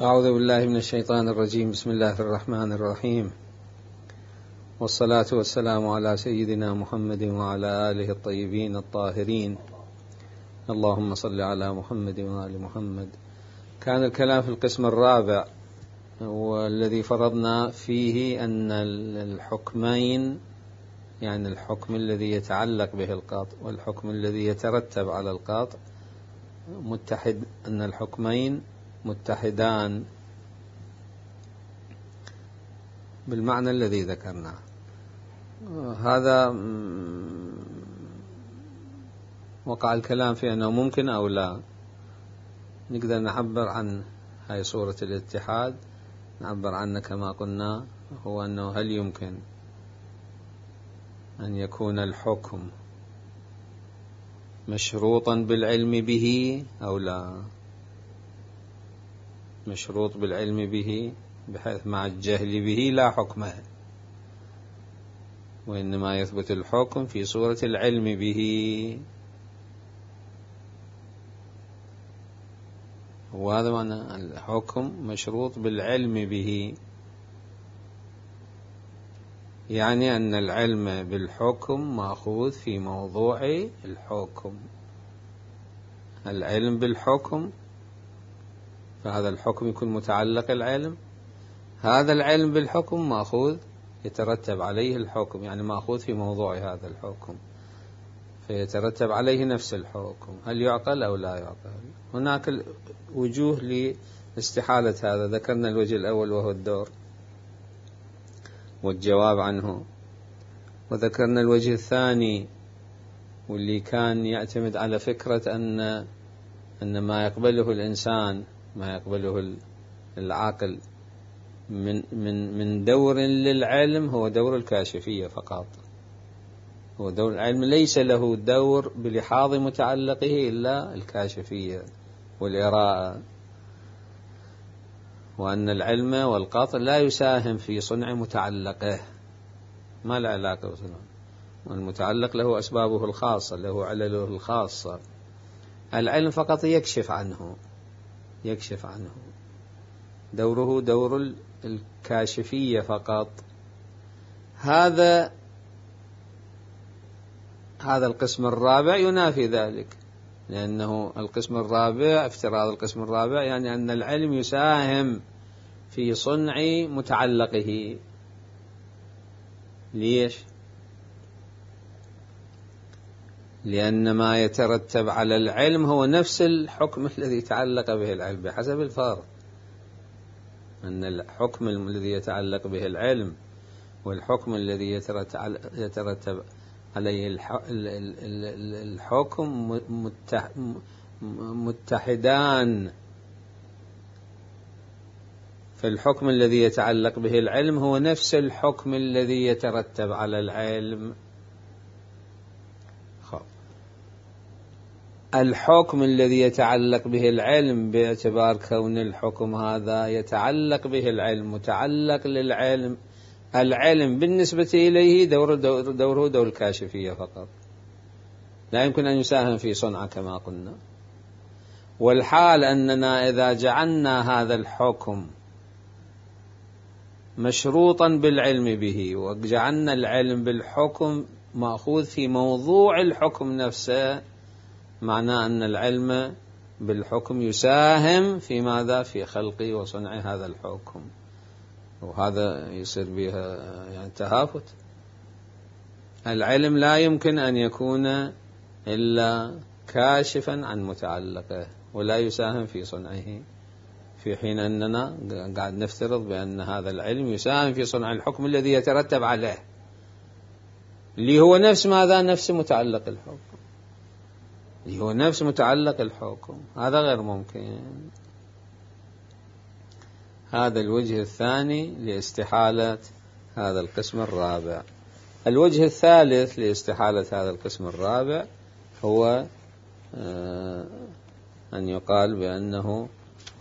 أعوذ بالله من الشيطان الرجيم. بسم الله الرحمن الرحيم، والصلاة والسلام على سيدنا محمد وعلى آله الطيبين الطاهرين. اللهم صل على محمد وآل محمد. كان الكلام في القسم الرابع والذي فرضنا فيه أن الحكمين، يعني الحكم الذي يتعلق به القاطع والحكم الذي يترتب على القاطع متحد، أن الحكمين متحدان بالمعنى الذي ذكرناه. هذا وقع الكلام في أنه ممكن أو لا. نقدر نعبر عن هاي صورة الاتحاد، نعبر عنه كما قلنا، هو أنه هل يمكن أن يكون الحكم مشروطا بالعلم به أو لا؟ مشروط بالعلم به بحيث مع الجهل به لا حكم، وإنما يثبت الحكم في صورة العلم به. وهذا معنى الحكم مشروط بالعلم به، يعني أن العلم بالحكم مأخوذ في موضوع الحكم. العلم بالحكم، فهذا الحكم يكون متعلق العلم، هذا العلم بالحكم مأخوذ يترتب عليه الحكم، يعني مأخوذ في موضوع هذا الحكم فيترتب عليه نفس الحكم. هل يعقل أو لا يعقل؟ هناك وجوه لاستحالة هذا. ذكرنا الوجه الأول وهو الدور والجواب عنه، وذكرنا الوجه الثاني واللي كان يعتمد على فكرة أن ما يقبله الإنسان، ما يقبله العاقل من دور للعلم هو دور الكاشفية فقط. هو دور العلم ليس له دور بلحاظ متعلقه إلا الكاشفية والإراءة، وأن العلم والقطع لا يساهم في صنع متعلقه، ما له علاقة بصنع. والمتعلق له أسبابه الخاصة، له علله الخاصة. العلم فقط يكشف عنه، يكشف عنه، دوره دور الكاشفية فقط. هذا القسم الرابع ينافي ذلك، لأنه القسم الرابع، افتراض القسم الرابع يعني أن العلم يساهم في صنع متعلقه. ليش؟ لأن ما يترتب على العلم هو نفس الحكم الذي يتعلق به العلم بحسب الفرض. أن الحكم الذي يتعلق به العلم والحكم الذي يترتب عليه الحكم متحدان. فالحكم الذي يتعلق به العلم هو نفس الحكم الذي يترتب على العلم. الحكم الذي يتعلق به العلم باعتبار كون الحكم هذا يتعلق به العلم، متعلق للعلم، العلم بالنسبة إليه دوره دور الكاشفية فقط، لا يمكن أن يساهم في صنعه كما قلنا. والحال أننا إذا جعلنا هذا الحكم مشروطا بالعلم به وجعلنا العلم بالحكم مأخوذ في موضوع الحكم نفسه، معناه أن العلم بالحكم يساهم في ماذا؟ في خلق وصنع هذا الحكم، وهذا يصير بها يعني تهافت. العلم لا يمكن أن يكون إلا كاشفا عن متعلقه ولا يساهم في صنعه، في حين أننا قاعد نفترض بأن هذا العلم يساهم في صنع الحكم الذي يترتب عليه، اللي هو نفس ماذا؟ نفس متعلق الحكم، اللي هو نفس متعلق الحكم. هذا غير ممكن. هذا الوجه الثاني لاستحالة هذا القسم الرابع. الوجه الثالث لاستحالة هذا القسم الرابع هو أن يقال بأنه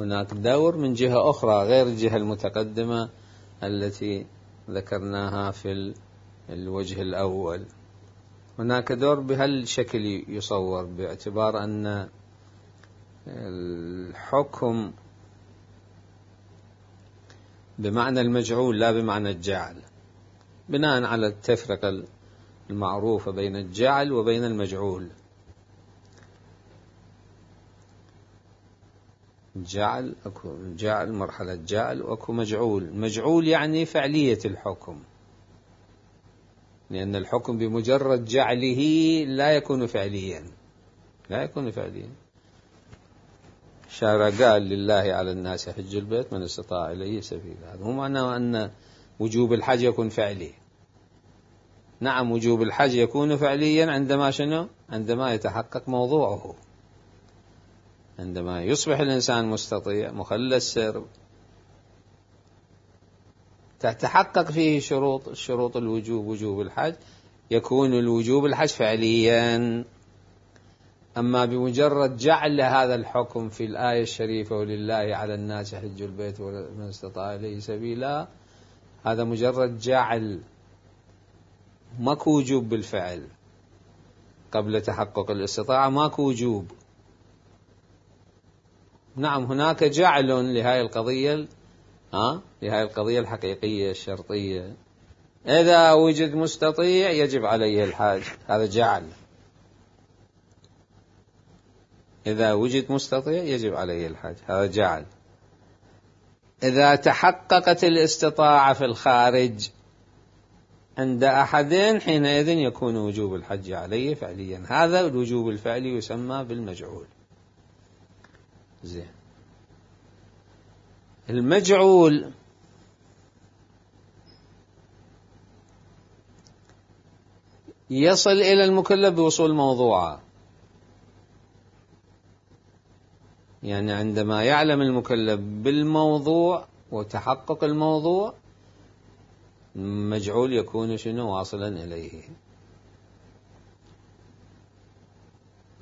هناك دور من جهة أخرى غير الجهة المتقدمة التي ذكرناها في الوجه الأول. هناك دور بهالشكل يصور، باعتبار أن الحكم بمعنى المجعول لا بمعنى الجعل، بناء على التفرقة المعروفة بين الجعل وبين المجعول. اكو جعل، مرحلة جعل، واكو مجعول. مجعول يعني فعلية الحكم، لأن الحكم بمجرد جعله لا يكون فعليا، لا يكون فعليا. الشارع قال لله على الناس حج البيت من استطاع إليه سبيلا، هذا مو معناه أن وجوب الحج يكون فعلي. نعم وجوب الحج يكون فعليا عندما شنو؟ عندما يتحقق موضوعه، عندما يصبح الإنسان مستطيع مخلى السرب تتحقق فيه شروط الوجوب، وجوب الحج، يكون الوجوب الحج فعليا. أما بمجرد جعل هذا الحكم في الآية الشريفة ولله على الناس حج البيت من استطاع إليه سبيلا، هذا مجرد جعل، ماكو وجوب بالفعل. قبل تحقق الاستطاعة ماكو وجوب. نعم هناك جعل لهذه القضية، لهذه القضية الحقيقية الشرطية، إذا وجد مستطيع يجب عليه الحج، هذا جعل. إذا وجد مستطيع يجب عليه الحج، هذا جعل. إذا تحققت الاستطاعة في الخارج عند أحدين، حينئذ يكون وجوب الحج عليه فعليا. هذا الوجوب الفعلي يسمى بالمجعول. زين. المجعول يصل إلى المكلف بوصول موضوعه، يعني عندما يعلم المكلف بالموضوع وتحقق الموضوع، مجعول يكون شنو؟ واصلا إليه.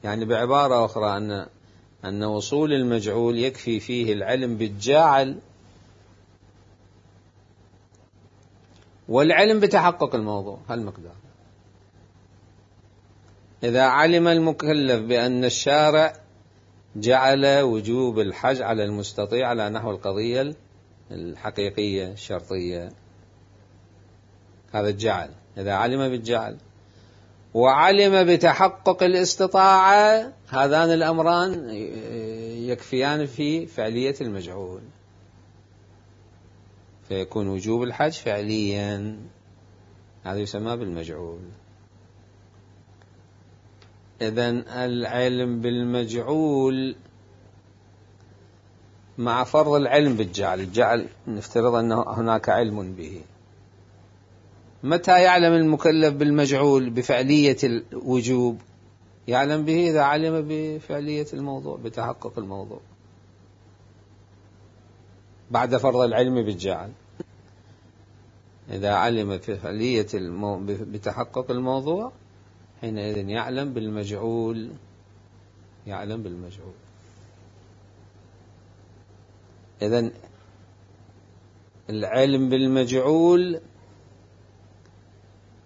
يعني بعبارة أخرى أن وصول المجعول يكفي فيه العلم بالجاعل والعلم بتحقق الموضوع، هالمقدار. إذا علم المكلف بأن الشارع جعل وجوب الحج على المستطيع على نحو القضية الحقيقية الشرطية، هذا الجعل. إذا علم بالجعل وعلم بتحقق الاستطاعة، هذان الأمران يكفيان في فعلية المجعول، فيكون وجوب الحج فعليا، هذا يسمى بالمجعول. إذن العلم بالمجعول مع فرض العلم بالجعل، الجعل نفترض أن هناك علم به. متى يعلم المكلف بالمجعول بفعلية الوجوب؟ يعلم به إذا علم بفعلية الموضوع، بتحقق الموضوع، بعد فرض العلم بالجعل. إذا علم بفعلية بتحقق الموضوع، حينئذ يعلم بالمجعول، يعلم بالمجعول. إذن العلم بالمجعول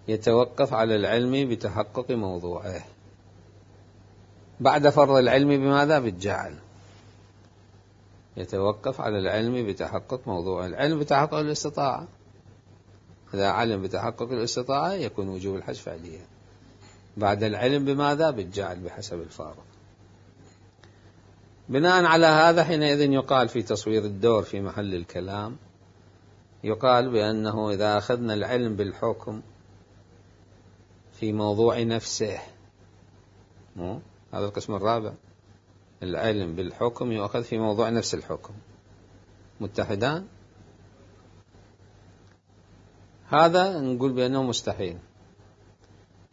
يتوقف على العلم بتحقق موضوعه بعد فرض العلم بماذا؟ بالجعل. يتوقف على العلم بتحقق موضوعه. العلم بتحقق الاستطاعة، إذا علم بتحقق الاستطاعة يكون وجوب الحج فعليا. بعد العلم بماذا؟ بالجعل بحسب الفارق. بناء على هذا حينئذ يقال في تصوير الدور في محل الكلام، يقال بأنه إذا أخذنا العلم بالحكم في موضوع نفسه، هذا القسم الرابع، العلم بالحكم يؤخذ في موضوع نفس الحكم، متحدان، هذا نقول بأنه مستحيل.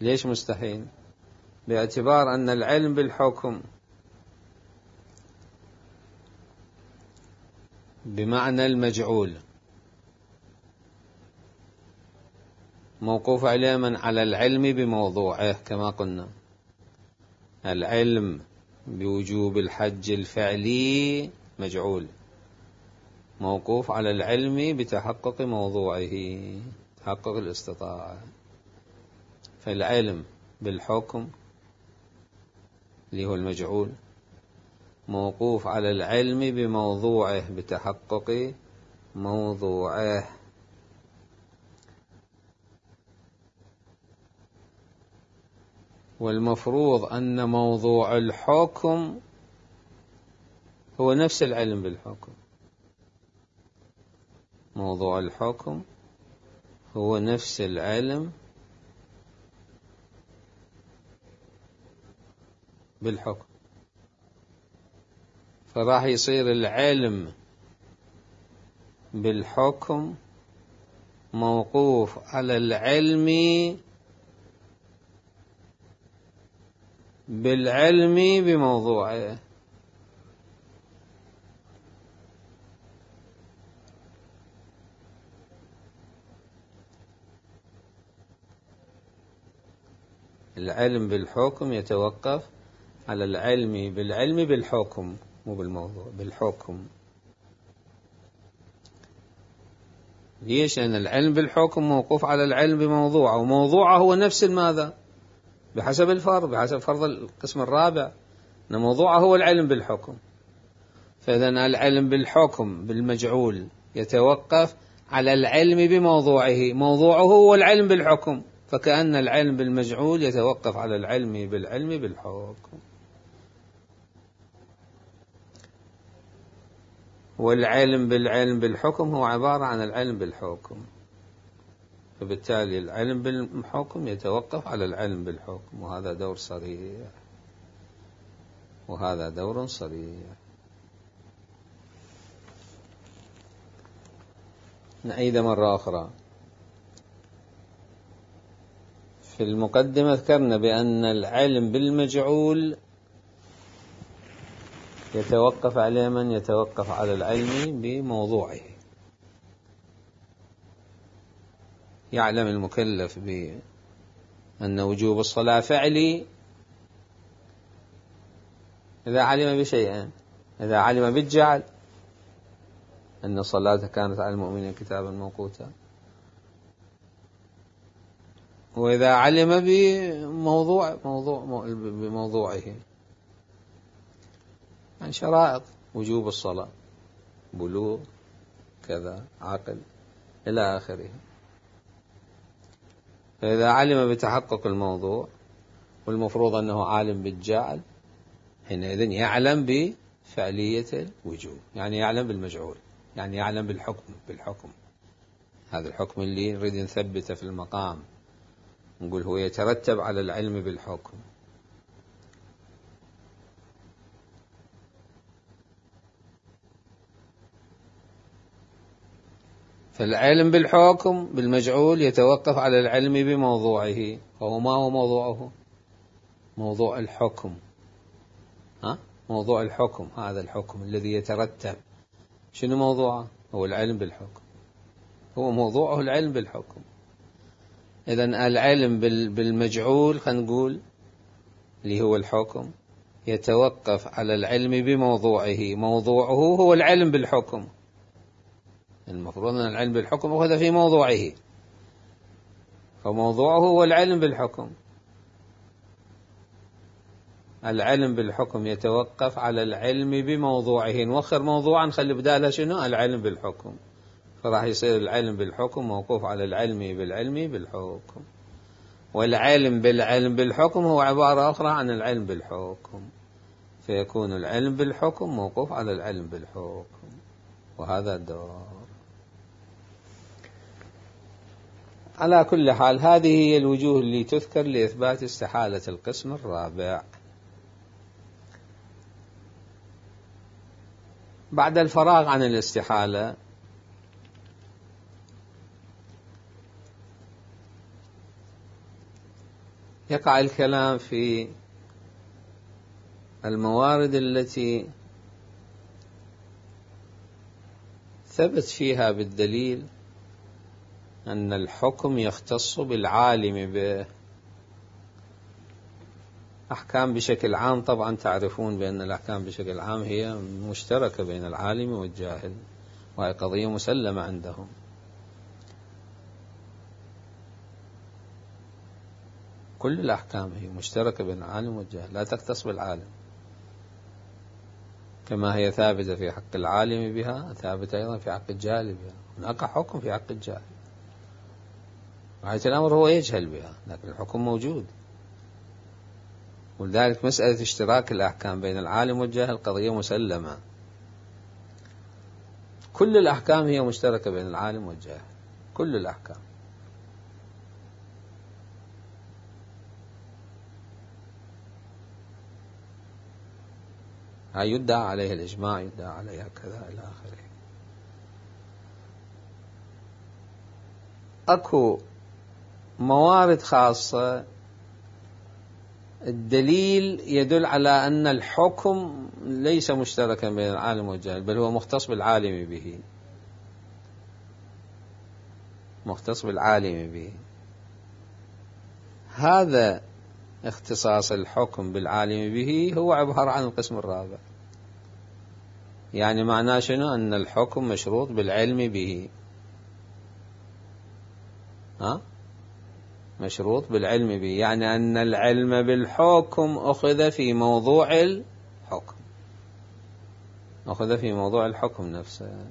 ليش مستحيل؟ باعتبار أن العلم بالحكم بمعنى المجعول موقوف عليه من على العلم بموضوعه، كما قلنا العلم بوجوب الحج الفعلي مجعول، موقوف على العلم بتحقق موضوعه، تحقق الاستطاعة. فالعلم بالحكم اللي هو المجعول موقوف على العلم بموضوعه بتحقق موضوعه. والمفروض أن موضوع الحكم هو نفس العلم بالحكم. موضوع الحكم هو نفس العلم بالحكم، فراح يصير العلم بالحكم موقوف على العلم بالعلم بموضوعه. العلم بالحكم يتوقف على العلم بالعلم بالحكم، مو بالموضوع، بالحكم. ليش؟ لأن العلم بالحكم موقوف على العلم بموضوعه، وموضوعه هو نفس ماذا؟ بحسب الفرض، بحسب فرض القسم الرابع، أن موضوعه هو العلم بالحكم. فإذا العلم بالحكم بالمجعول يتوقف على العلم بموضوعه، موضوعه هو العلم بالحكم، فكأن العلم بالمجعول يتوقف على العلم بالعلم بالحكم. والعلم بالعلم بالحكم هو عبارة عن العلم بالحكم، فبالتالي العلم بالحكم يتوقف على العلم بالحكم، وهذا دور صريح، وهذا دور صريح. نعيد مرة أخرى. في المقدمة ذكرنا بأن العلم بالمجعول يتوقف على من؟ يتوقف على العلم بموضوعه. يعلم المكلف بأن وجوب الصلاة فعلي إذا علم بشيئين: إذا علم بالجعل أن الصلاة كانت على المؤمنين كتابا موقوتا، وإذا علم بموضوعه، عن شرائط وجوب الصلاة، بلوغ كذا، عقل إلى آخره. فإذا علم بتحقق الموضوع، والمفروض أنه عالم بالجعل، حينئذ يعلم بفعلية الوجوب، يعني يعلم بالمجعول، يعني يعلم بالحكم. هذا الحكم اللي نريد نثبته في المقام، نقول هو يترتب على العلم بالحكم. فالعلم بالحكم بالمجعول يتوقف على العلم بموضوعه، وهو ما هو موضوعه؟ موضوع الحكم. موضوع الحكم، هذا الحكم الذي يترتب، شنو موضوعه؟ هو العلم بالحكم، هو موضوعه العلم بالحكم. إذن العلم بالمجعول، خلينا نقول اللي هو الحكم، يتوقف على العلم بموضوعه، موضوعه هو العلم بالحكم. المفروض أن العلم بالحكم أخذ في موضوعه، فموضوعه هو العلم بالحكم. العلم بالحكم يتوقف على العلم بموضوعه، نوخر موضوعا نخلي بدالها شنو؟ العلم بالحكم، فراح يصير العلم بالحكم موقوف على العلم بالعلم بالحكم. والعلم بالعلم بالحكم هو عبارة أخرى عن العلم بالحكم، فيكون العلم بالحكم موقوف على العلم بالحكم، وهذا الدور. على كل حال، هذه هي الوجوه اللي تذكر لإثبات استحالة القسم الرابع. بعد الفراغ عن الاستحالة يقع الكلام في الموارد التي ثبت فيها بالدليل أن الحكم يختص بالعالم بأحكام بشكل عام. طبعا تعرفون بأن الأحكام بشكل عام هي مشتركة بين العالم والجاهل، وهي قضية مسلمة عندهم. كل الأحكام هي مشتركة بين العالم والجاهل، لا تختص بالعالم. كما هي ثابتة في حق العالم بها ثابتة أيضا في حق الجاهل بها. هناك حكم في حق الجاهل، غاية الأمر هو يجهل بها، لكن الحكم موجود. ولذلك مسألة اشتراك الأحكام بين العالم والجاهل قضية مسلمة. كل الأحكام هي مشتركة بين العالم والجاهل، كل الأحكام. هاي يدعى عليها الإجماع، يدعى عليها كذا إلى آخره. أكو موارد خاصة الدليل يدل على أن الحكم ليس مشتركا بين العالم والجاهل، بل هو مختص بالعالم به، مختص بالعالم به. هذا اختصاص الحكم بالعالم به هو عبارة عن القسم الرابع. يعني معناه شنو؟ أن الحكم مشروط بالعلم به، مشروط بالعلم به، يعني أن العلم بالحكم أخذ في موضوع الحكم، أخذ في موضوع الحكم نفسه.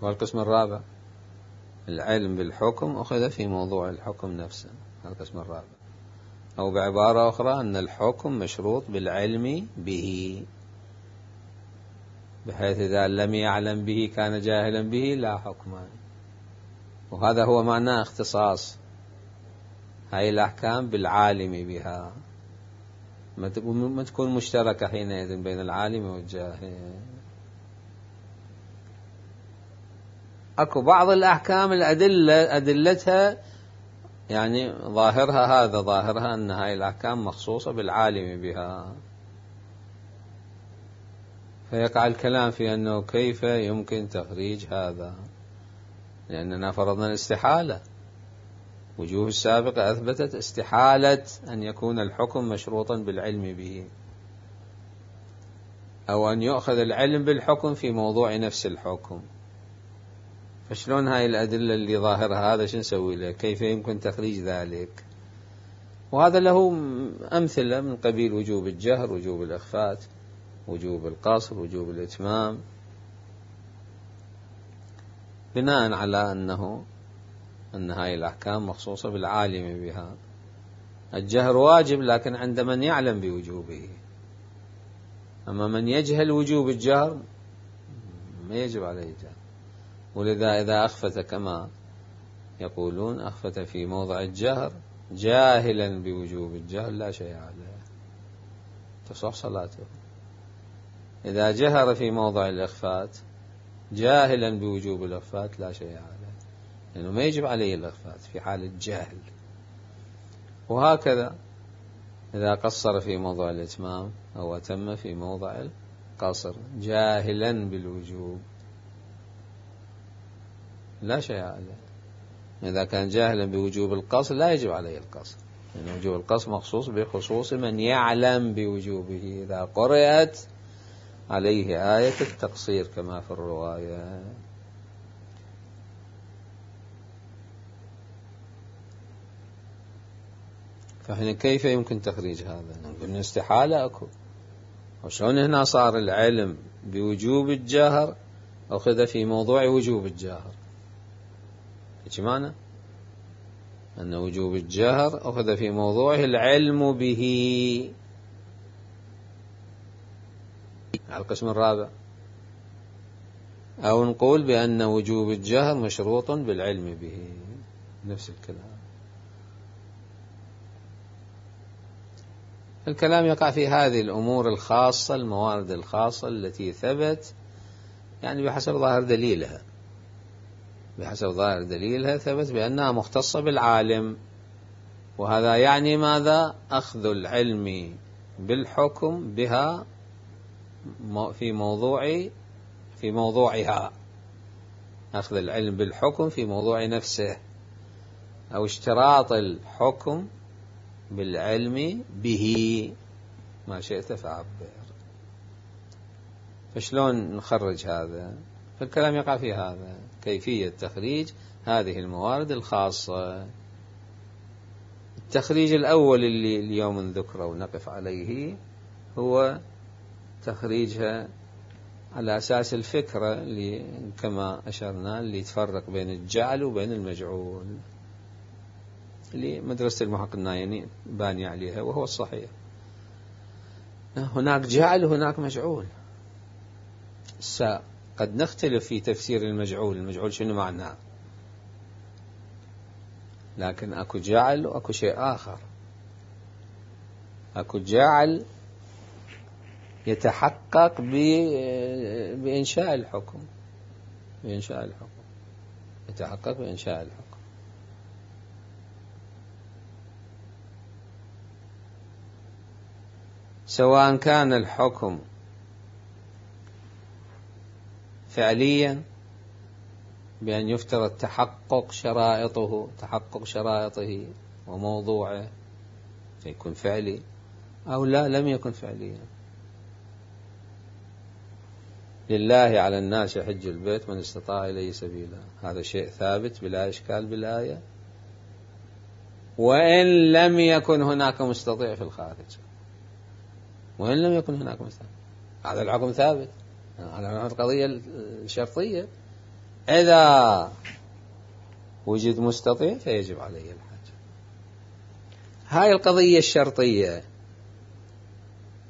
والقسم الرابع العلم بالحكم أخذ في موضوع الحكم نفسه، القسم الرابع. أو بعبارة أخرى أن الحكم مشروط بالعلم به، بحيث إذا لم يعلم به كان جاهلا به لا حكم. وهذا هو معنى اختصاص هاي الأحكام بالعالم بها، ما تكون مشتركة حينئذ بين العالم والجاهل. أكو بعض الأحكام أدلتها يعني ظاهرها هذا، ظاهرها أن هاي الأحكام مخصوصة بالعالم بها، فيقع الكلام في أنه كيف يمكن تخريج هذا، لأننا فرضنا الاستحالة. وجوه السابقة أثبتت استحالة أن يكون الحكم مشروطا بالعلم به، أو أن يؤخذ العلم بالحكم في موضوع نفس الحكم. فشلون هاي الأدلة اللي ظاهرها هذا شو نسوي له؟ كيف يمكن تخريج ذلك؟ وهذا له أمثلة من قبيل وجوب الجهر، وجوب الإخفات، وجوب القصر، وجوب الإتمام، بناء على أن هاي الأحكام مخصوصة بالعالم بها. الجهر واجب لكن عند من يعلم بوجوبه، أما من يجهل وجوب الجهر ما يجب عليه الجهر. ولذا إذا أخفت كما يقولون أخفت في موضع الجهر جاهلا بوجوب الجهر لا شيء عليه، تصح صلاته. إذا جهر في موضع الإخفات جاهلا بوجوب الإخفات لا شيء عليه، لأنه ما يجب عليه الإخفات في حال الجهل. وهكذا إذا قصر في موضع الإتمام أو أتم في موضع القصر جاهلا بالوجوب لا شيء عليه. إذا كان جاهلا بوجوب القصر لا يجب عليه القصر، لأن وجوب القصر مخصوص بخصوص من يعلم بوجوبه، إذا قرأت عليه آية التقصير كما في الرواية. فهنا كيف يمكن تخريج هذا؟ نقول استحالة أكو. وشلون هنا صار العلم بوجوب الجهر أخذ في موضوع وجوب الجهر؟ إيش معنى؟ أن وجوب الجهر أخذ في موضوعه العلم به، على القسم الرابع. أو نقول بأن وجوب الجهر مشروط بالعلم به، نفس الكلام. الكلام يقع في هذه الأمور الخاصة، الموارد الخاصة التي ثبت يعني بحسب ظاهر دليلها، بحسب ظاهر دليلها ثبت بأنها مختصة بالعالم. وهذا يعني ماذا؟ أخذ العلم بالحكم بها في موضوعها، أخذ العلم بالحكم في موضوع نفسه، أو اشتراط الحكم بالعلم به، ما شئت فعبر. فشلون نخرج هذا؟ فالكلام يقع في هذا، كيفية تخريج هذه الموارد الخاصة. التخريج الأول اللي اليوم نذكره ونقف عليه هو تخريجها على أساس الفكرة اللي كما أشرنا اللي تفرق بين الجعل وبين المجعول، اللي مدرسة المحقق النايني باني عليها وهو الصحيح. هناك جعل وهناك مجعول. قد نختلف في تفسير المجعول شنو معناه، لكن أكو جعل وأكو شيء آخر. أكو جعل يتحقق بإنشاء الحكم، يتحقق بإنشاء الحكم. سواء كان الحكم فعليا بأن يفترض تحقق شرائطه وموضوعه فيكون فعلي، أو لا لم يكن فعليا. لله على الناس حج البيت من استطاع إليه سبيلا، هذا شيء ثابت بلا إشكال بالآية، وإن لم يكن هناك مستطيع في الخارج، وإن لم يكن هناك مستطيع، هذا الحكم ثابت. هذا القضية الشرطية، إذا وجد مستطيع فيجب عليه الحج. هاي القضية الشرطية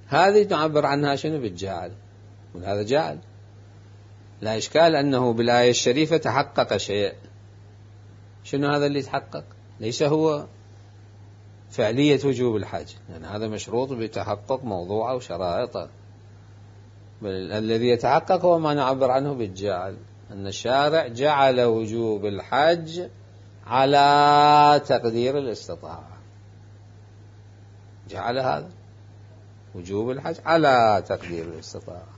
هذه نعبر عنها شنو؟ بالجعل. وهذا جعل لا إشكال أنه بالآية الشريفة تحقق شيء. شنو هذا اللي تحقق؟ ليس هو فعلية وجوب الحج، لأن هذا مشروط بتحقق موضوعه وشرائطه، بل الذي يتحقق هو ما نعبر عنه بالجعل، أن الشارع جعل وجوب الحج على تقدير الاستطاعة. جعل هذا وجوب الحج على تقدير الاستطاعة،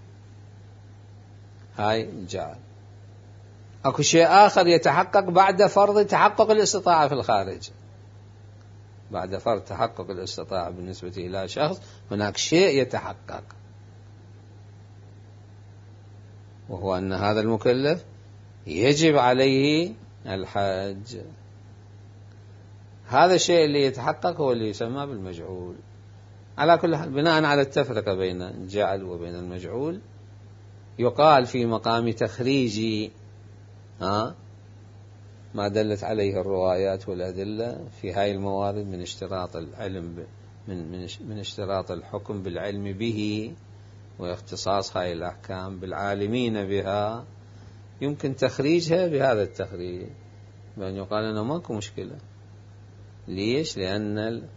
هاي الجعل. أكو شيء آخر يتحقق بعد فرض تحقق الاستطاعة في الخارج. بعد فرض تحقق الاستطاعة بالنسبة إلى شخص هناك شيء يتحقق، وهو أن هذا المكلف يجب عليه الحج. هذا الشيء اللي يتحقق هو اللي يسمى بالمجعول. على كل حال، بناء على التفرقة بين الجعل وبين المجعول، يقال في مقام تخريج ما دلت عليه الروايات والأدلة في هاي الموارد من اشتراط العلم من اشتراط الحكم بالعلم به واختصاص هاي الأحكام بالعالمين بها، يمكن تخريجها بهذا التخريج، بأن يقال أنه ماكو مشكلة. ليش؟ لأن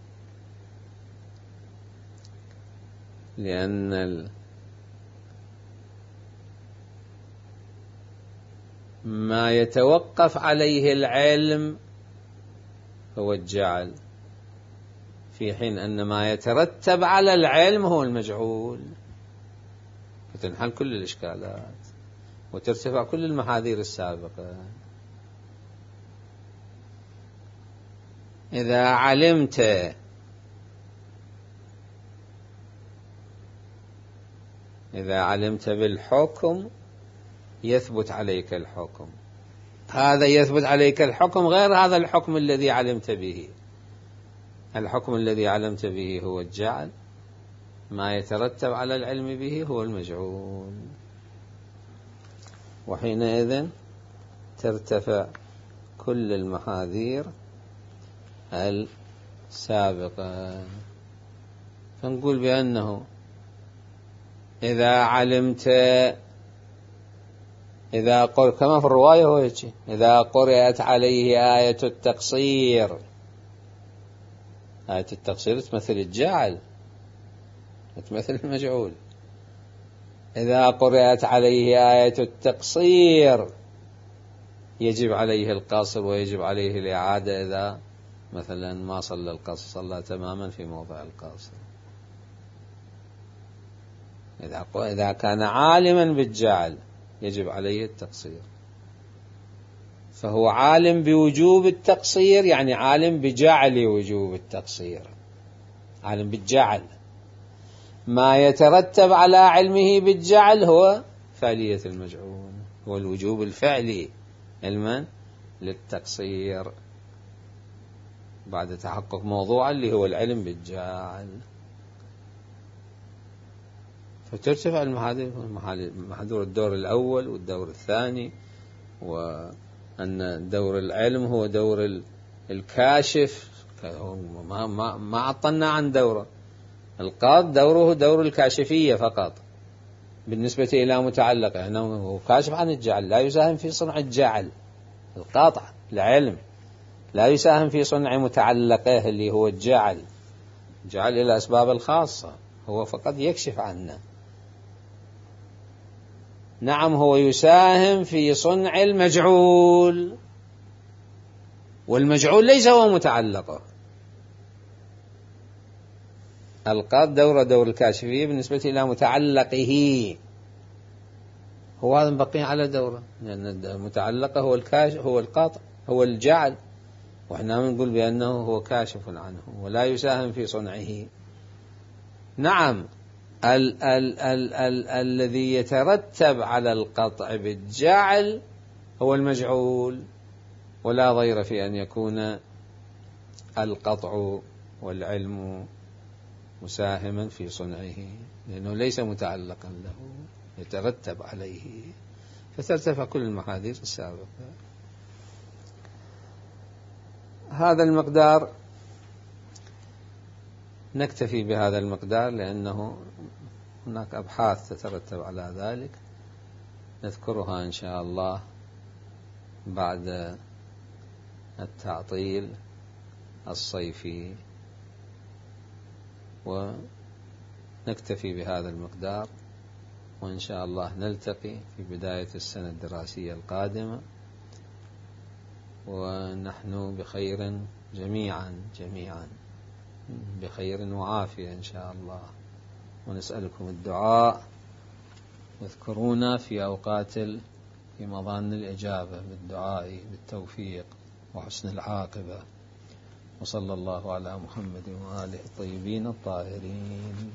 ما يتوقف عليه العلم هو الجعل، في حين أن ما يترتب على العلم هو المجعول، فتنحل كل الإشكالات وترتفع كل المحاذير السابقة. إذا علمت بالحكم يثبت عليك الحكم، هذا يثبت عليك الحكم غير هذا الحكم الذي علمت به. الحكم الذي علمت به هو الجعل، ما يترتب على العلم به هو المجعول، وحينئذ ترتفع كل المحاذير السابقة. فنقول بأنه إذا علمت كما في الرواية هو هيك، إذا قرأت عليه آية التقصير، آية التقصير تمثل الجعل، تمثل المجعول. إذا قرأت عليه آية التقصير يجب عليه القصر ويجب عليه الإعادة إذا مثلا ما صلى القصر، صلى تماما في موضع القصر. إذا كان عالما بالجعل يجب عليه التقصير، فهو عالم بوجوب التقصير، يعني عالم بجعل وجوب التقصير، عالم بالجعل. ما يترتب على علمه بالجعل هو فعلية المجعول، هو الوجوب الفعلي علما للتقصير. بعد تحقق موضوع اللي هو العلم بالجعل، فترتفع المحاذير الدور الأول والدور الثاني، وأن دور العلم هو دور الكاشف. ما عطلنا عن دوره. القاط دوره دور الكاشفية فقط بالنسبة إلى متعلقه، أنه هو كاشف عن الجعل، لا يساهم في صنع الجعل. القاطع العلم لا يساهم في صنع متعلقه اللي هو الجعل إلى الأسباب الخاصة، هو فقط يكشف عنه. نعم هو يساهم في صنع المجعول، والمجعول ليس هو متعلقه. القاط دور الكاشفية بالنسبة إلى متعلقه، هو هذا بقي على دوره، لأن المتعلقه هو الكاشف، هو القاطع، هو الجعل، وإحنا نقول بأنه هو كاشف عنه ولا يساهم في صنعه. نعم الذي يترتب على القطع بالجعل هو المجعول، ولا ضير في أن يكون القطع والعلم مساهما في صنعه، لأنه ليس متعلقا له يترتب عليه، فترتفع كل المحاذير السابقة. هذا المقدار نكتفي بهذا المقدار، لأنه هناك أبحاث تترتب على ذلك نذكرها إن شاء الله بعد التعطيل الصيفي، ونكتفي بهذا المقدار، وإن شاء الله نلتقي في بداية السنة الدراسية القادمة ونحن بخير جميعا بخير وعافية إن شاء الله. ونسألكم الدعاء، واذكرونا في أوقات في مظان الإجابة بالدعاء بالتوفيق وحسن العاقبة. وصلى الله على محمد وآله الطيبين الطاهرين.